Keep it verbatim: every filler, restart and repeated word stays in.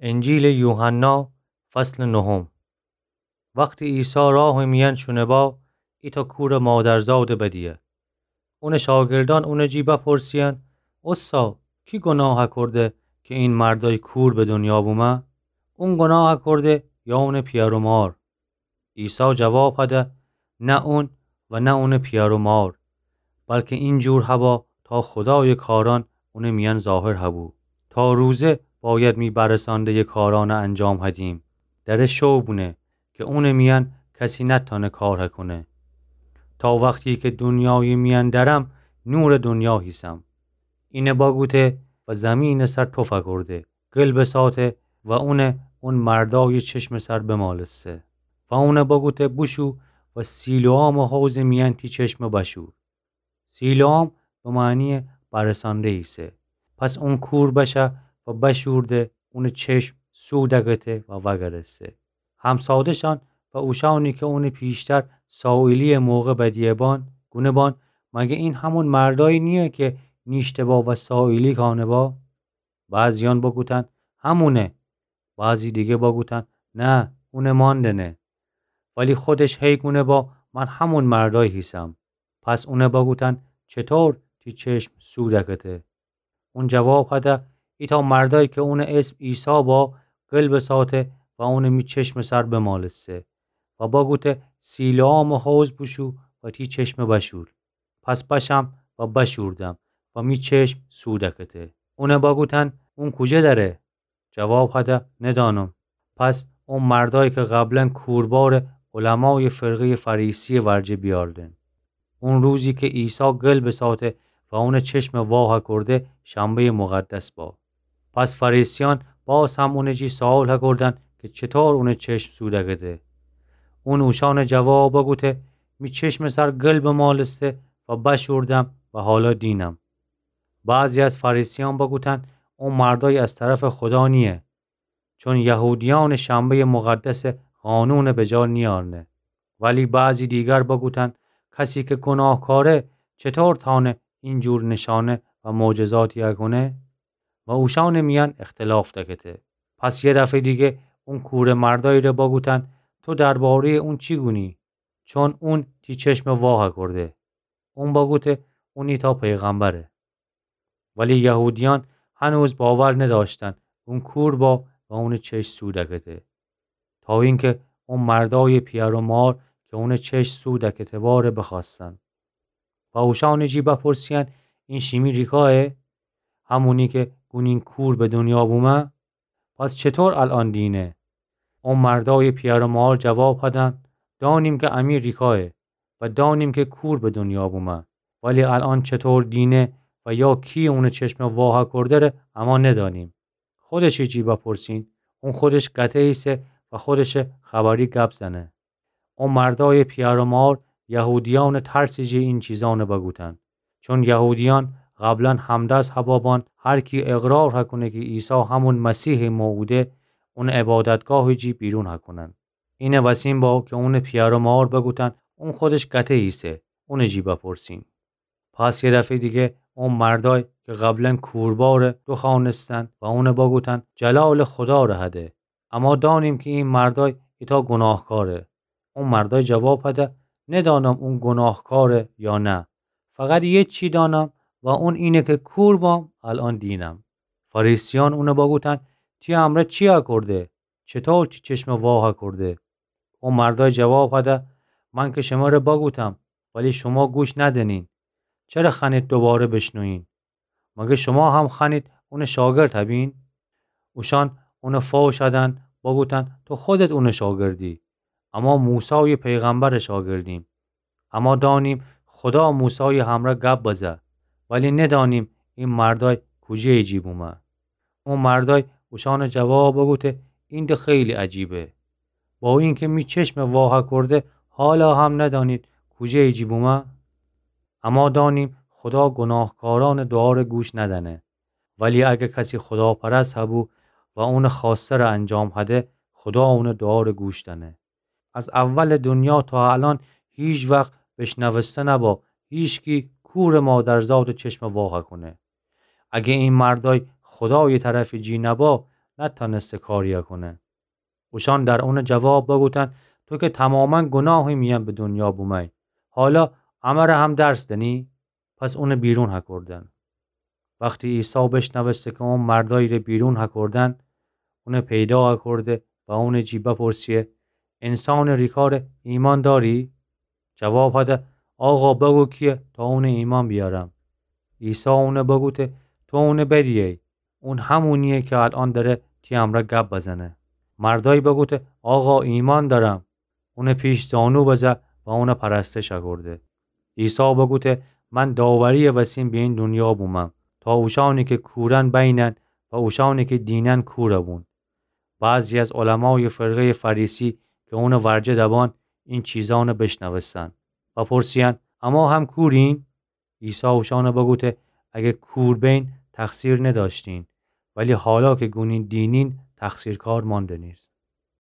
انجیلٚ یوحنا، فصلٚ نهم. وختی عیسی راهٚ میأن شونه با، ایتأ کورٚ مادرزادٚ بدیه. اونٚ شاگردأن اونٚ جی بپرسییأن: اوستا، کی گوناه اکورده کی این مردأی کور به دونیا بومه؟ اون گوناه اکورده یا اونٚ پیأر و مار؟ عیسی جواب هده: نه اون و نه اونٚ پیأر و مار، بلکه اینجور هبا تا خودایٚ کارأن اونٚ میأن ظاهر هبو. تا روزه باید می برسأنده‌یٚ کارأنٚ انجام هدیم. دره شو بونه کی اونٚ میأن کسی نتأنه کار هکونه. تا وختی کی دونیایٚ میأن درم، نورٚ دونیا هیسم. اینه بگوته و زیمینٚ سر توف اکورده، گل بساته و اونه اون مردایٚ چشمٚ سر بمالسته. و اونه بگوته: بوشو و سیلوآمٚ حوضٚ میأن تی چشم بشور. سیلوآم به معنیٚ برسأنده ایسه. پس اون کور بشه و بشورده، اونٚ چشم سو دکته و وأگرسته. همساده‌شأن و اوشأنی کی اونٚ پیشتر سائلیٚ موقع بدیه بان، گونه بان: مگه این همون مردأیی نییه کی نیشته با و سائلی کأنه با؟ بعضییأن بگوتن: همونه. بعضی دیگه بگوتن: نه، اونه ماندنه. ولی خودش هی گونه با: من همون مردأی هیسم. پس اونه بگوتن: چطور تی چشم سو دکته؟ اون جواب هده: ایتأ مردأی کی اونٚ اسم عیسی با، گل بساته و اونه می چشمٚ سر بمالسته و بگوته: سیلوآمٚ حوض بوشو و تی چشم بشور. پس بشم و بشوردم و می چشم سو دکته. اونه بگوتن: اون کوجه دره؟ جواب هده: ندانم. پس اون مردأی کی قبلا کورباره، علمایٚ فرقه‌یٚ فریسییٚ ورجه بیأردن. اون روزی کی عیسی گل بساته و اونٚ چشم واه اکورده، شنبه‌یٚ مقدس با. پس فریسیأن باز هم اونٚ جی سؤال اکوردن کی چطور اونٚ چشم سو دکته. اون اوشأنٚ جواب بگوته: می چشمٚ سر گل بمالسته و بشوردم و حالا دینم. بعضی از فریسیأن بگوتن: اون مردأی از طرفٚ خودا نییه، چون یهودیأنٚ شنبه‌یٚ مقدس قانون بجا نیأرنه. ولی بعضی دیگر بگوتن: کسی کی گوناهکاره چطور تأنه اینجور نشانه و معجزاتی اکونه؟ و اوشأنٚ میأن اختلاف دکته. پس یه دفعه دیگه اون کورٚ مردأیی ره بگوتن: تو درباره‌یٚ اون چی گونی؟ چون اون تی چشم واه اکورده. اون بگوته: اون ایتأ پیغمبره. ولی یهودیأن هنوز باور ندأشتن اون کور با و اونٚ چشم سو دکته، تا اینکی اون مردأیٚ پیأر و مار کی اونٚ چشم سو دکته باره بخوأستن. و اوشأنٚ جی بپرسییأن: این شیمی ریکایه؟ همونی کی گونین کور به دونیا بومه؟ پس چطور الأن دینه؟ او مردأیٚ پیأر و مار جواب هدن: دأنیم کی امی ریکایه و دأنیم کی کور به دونیا بومه، ولی الأن چطور دینه و یا کی اونٚ چشم واه اکورده ره اما ندأنیم. خودشٚ جی بپرسین، اون خودش گته ایسه و خودشٚ خبری گب زنه. او مردأیٚ پیأر و مار یهودیأنٚ ترسٚ جی این چیزأن بگوتن. چون یهودیأن قبلا همدست هبابان هر کی اقرار هکونه کی عیسی همون مسیحٚ موعوده، اونٚ عبادتگاهٚ جی بیرون هکونن. اینٚ وسین با کی اونٚ پیأر و مار بگوتن اون خودش گته ایسه، اونٚ جی بپرسین. پس یه دفعه‌یٚ دیگه او مردأی کی قبلا کورباره دوخوأنستن و اون بگوتن جلالٚ خودا ره هده. اما دأنیم کی این مردأی ایتأ گوناهکاره. او مردأی جواب هده: ندأنم اون گوناهکاره یا نه. فقط یه چی دأنم و اون اینه کی کور بام، الأن دینم. فریسیأن اون بگوتن: تی امرأ چی اکورده؟ چطور تی چشم واه اکورده؟ او مردأی جواب هده: من کی شمره بگوتم، ولی شوما گوش ندنین. چره خوأنید دوباره بشنوین؟ مگه شوما هم خوأنید اونٚ شاگرد هبین؟ اوشأن اون فوش هدن، بگوتن: تو خودت اونٚ شاگردی، اما موسایٚ پیغمبرٚ شاگردیم. اما دأنیم خودا موسایٚ همرأ گب بزه، ولی ندأنیم این مردأی کوجه‌یٚ جی بومه. او مردأی اوشأنٚ جواب بگوته: این ده خیلی عجیبه. با اینکی می چشم واه اکورده، حالا هم ندأنید کوجه‌یٚ جی بومه؟ اما دأنیم خودا گوناهکارأنٚ دوعا ره گوش ندنه. ولی اگه کسی خوداپرست هبو و اونٚ خوأسته ره انجام هده، خودا اونٚ دوعا ره گوش دنه. از اولٚ دونیا تا الأن هیچ وخت بشنوسته نبا هیچکی کورٚ مادرزادٚ چشم واه اکونه. اگه این مردأی خودایٚ طرفٚ جی نبا، نتأنسته کاری کونه. اوشأن در اونٚ جواب بگوتن: تو که توماماً گوناهی میأن به دونیا بوموی، حالا امره هم درس دنی؟ پس اونه بیرون هکردن. وختی عیسی بیشنوسته که اون مردأیی ره بیرون هکردن، اونه پیدا هکرده و اونٚ جی بپرسیه: انسانٚ ریکاره ایمأن دأری؟ جواب هده: آقا، بگو کییه تا اونه ایمأن بیأرم. عیسی اونه بگوته: تو اونه بدییی. اون همونییه که الأن دره تی امرأ گب بزنه. مردأیی بگوته: آقا، ایمأن دأرم. اونٚ پیش زانو بزه و اونه پرستش هکرده. عیسی بگوته: من داورییٚ وسین به این دونیا بومم تا اوشأنی که کورن بینن و اوشأنی که دینن کور بون. بعضی از علمایٚ فرقهیٚ فریسی که اونٚ ورجه دبأن این چیزأن بیشنوستن و پرسییأن: اما هم کوریم؟ عیسی اوشأن بگوته: اگه کور بین تقصیر ندأشتین، ولی حالا که گونین دینین، تقصیرکار مأندنیز.